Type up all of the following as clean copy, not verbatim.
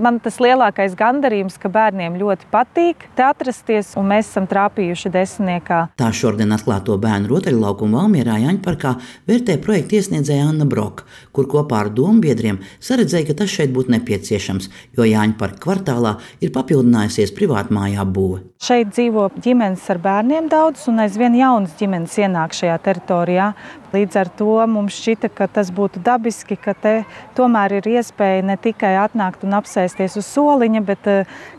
Man tas lielākais gandarījums, ka bērniem ļoti patīk te atrasties, un mēs esam trāpījuši 10. Tā šodien atklāto bērnu rotaļlaukumu Valmierā Jaņparkā vērtē projekta iesniedzēja Anna Broka, kur kopā ar dombiedriem saredzēja, ka tas šeit būtu nepieciešams, jo Jaņparka kvartālā ir papildinājusies privātmāju apbūve. Šeit dzīvo ģimenes ar bērniem daudz, un aizvien jaunas ģimenes ienāk šajā teritorijā. Līdz ar to mums šķita, ka tas būtu dabiski, ka te tomēr ir iespēja ne tikai atnākt un apsēsties uz soliņa, bet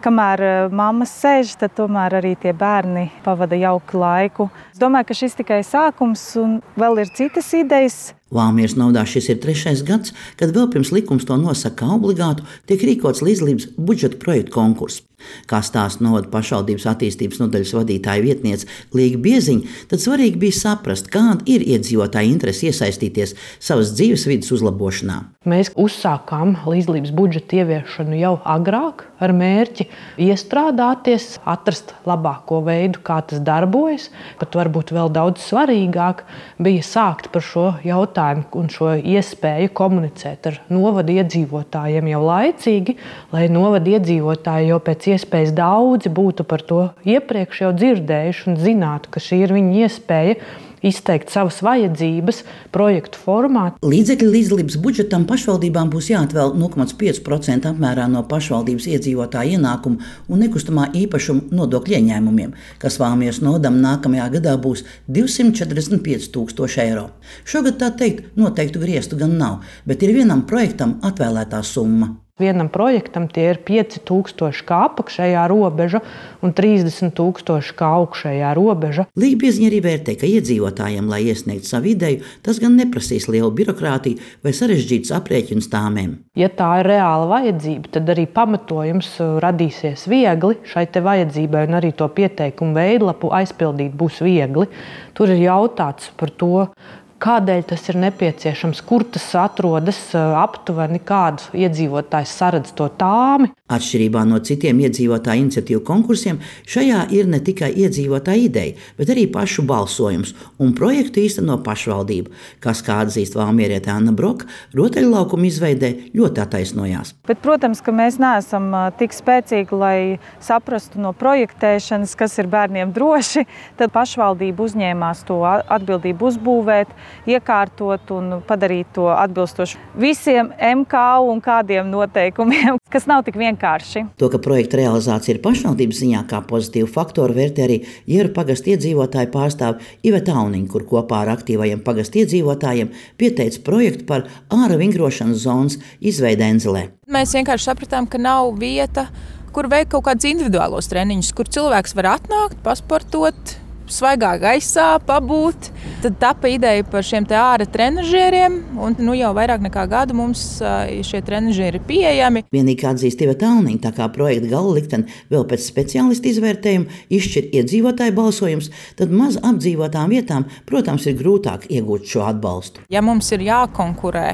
kamēr mammas sēž, tad tomēr arī tie bērni pavada jauku laiku. Es domāju, ka šis tikai sākums un vēl ir citas idejas. Valmieras novadā šis ir 3. gads, kad vēl pirms likums to nosaka kā obligātu, tiek rīkots līdzdalības budžeta projektu konkurss. Kā stāsta novada pašvaldības attīstības nodaļas vadītāja vietniece Līga Bieziņa, tad svarīgi bija saprast, kāda ir iedzīvotāja interese iesaistīties savas dzīvesvides uzlabošanā. Mēs uzsākām līdzdalības budžeta ieviešanu jau agrāk ar mērķi iestrādāties, atrast labāko veidu, kā tas darbojas. Pat varbūt vēl daudz svarīgāk bija sākt par šo jautājumu un šo iespēju komunicēt ar novada iedzīvotājiem jau laicīgi, lai novada iedzīvotāji jau pēc iespējas daudzi būtu par to iepriekš jau dzirdējuši un zinātu, ka šī ir viņa iespēja izteikt savas vajadzības projektu formā. Līdzekļi līdzdalības budžetam pašvaldībām būs jāatvēl 0,5% apmērā no pašvaldības iedzīvotāja ienākumu un nekustamā īpašuma nodokļu ieņēmumiem, kas Valmieras novadam nākamajā gadā būs 245 000 eiro. Šogad tā teikt noteiktu griestu gan nav, bet ir vienam projektam atvēlētā summa. Vienam projektam tie ir 5000 kā apakšējā robeža un 30 000 kā augšējā robeža. Līga Bieziņa arī vērtē, ka iedzīvotājiem, lai iesniegtu savu ideju, tas gan neprasīs lielu birokrātiju vai sarežģītus aprēķinus tāmēm. Ja tā ir reāla vajadzība, tad arī pamatojums radīsies viegli šai te vajadzībai un arī to pieteikumu veidlapu aizpildīt būs viegli. Tur ir jautāts par to, kādēļ tas ir nepieciešams, kur tas atrodas aptuveni, kādu iedzīvotājs saredz to tāmi. Atšķirībā no citiem iedzīvotāju iniciatīvu konkursiem, šajā ir ne tikai iedzīvotāja ideja, bet arī pašu balsojums un projektu īsteno pašvaldība, kas, kā atzīst valmieriete Anna Broka, rotaļlaukumu izveidē ļoti attaisnojās. Bet, protams, ka mēs neesam tik spēcīgi, lai saprastu no projektēšanas, kas ir bērniem droši, tad pašvaldība uzņēmās to atbildību uzbūvēt, iekārtot un padarīt to atbilstoši visiem MKU un kādiem noteikumiem, kas nav tik vienkārši. To, ka projekta realizācija ir pašvaldības ziņā kā pozitīvu faktoru, vērtē arī Jieru pagasta iedzīvotāju pārstāve Iveta Auniņa, kur kopā ar aktīvajiem pagasta iedzīvotājiem pieteica projektu par āra vingrošanas zonas izveidi Enzelē. Mēs vienkārši sapratām, ka nav vieta, kur veikt kaut kādus individuālos treniņus, kur cilvēks var atnākt, pasportot, svaigā gaisā, pabūt. Tad tapa ideja par šiem te āra trenažieriem, un jau vairāk nekā gadu mums šie trenažieri ir pieejami. Vienīgi atzīst Iveta Auniņa, tā kā projekta gala likteni vēl pēc speciālistu izvērtējuma izšķir iedzīvotāju balsojums, tad maz apdzīvotām vietām, protams, ir grūtāk iegūt šo atbalstu. Ja mums ir jākonkurē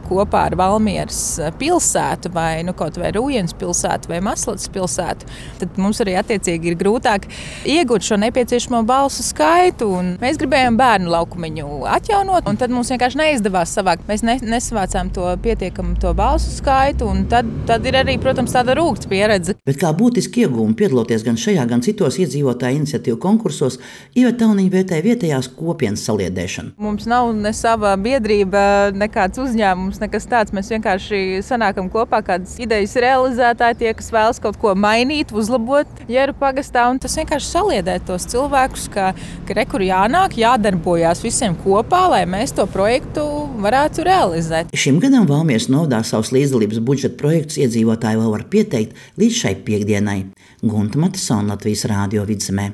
kopā ar Valmieras pilsētu vai kaut vai Rūjienas pilsētu vai Maslatas pilsētu, tad mums arī attiecīgi ir grūtāk iegūt šo nepieciešamo balsu skaitu. Un mēs gribējām bērnu laukumiņu atjaunot, un tad mums vienkārši neizdevās savākt. Mēs nesavācām to pietiekamu to balsu skaitu, un tad ir arī, protams, tāda rūgta pieredze. Bet kā būtiski iegūmi piedaloties gan šajā, gan citos iedzīvotāju iniciatīvu konkursos, Iveta Auniņa vērtē vietējās kopienas saliedēšanu. Mums nav ne sava biedrība, nekāds uzņēmums, nekas tāds. Mēs vienkārši sanākam kopā kādas idejas realizētāji, tie, kas vēlas kaut ko mainīt, uzlabot Jieru pagastā, un tas vienkārši saliedē tos cilvēkus, ka rekur jānāk, jādarbojās visiem kopā, lai mēs to projektu varētu realizēt. Šim gadam Valmieras novadā savus līdzdalības budžeta projektus iedzīvotāji vēl var pieteikt līdz šai piekdienai. Gunta Matisona, Latvijas Rādio Vidzemē.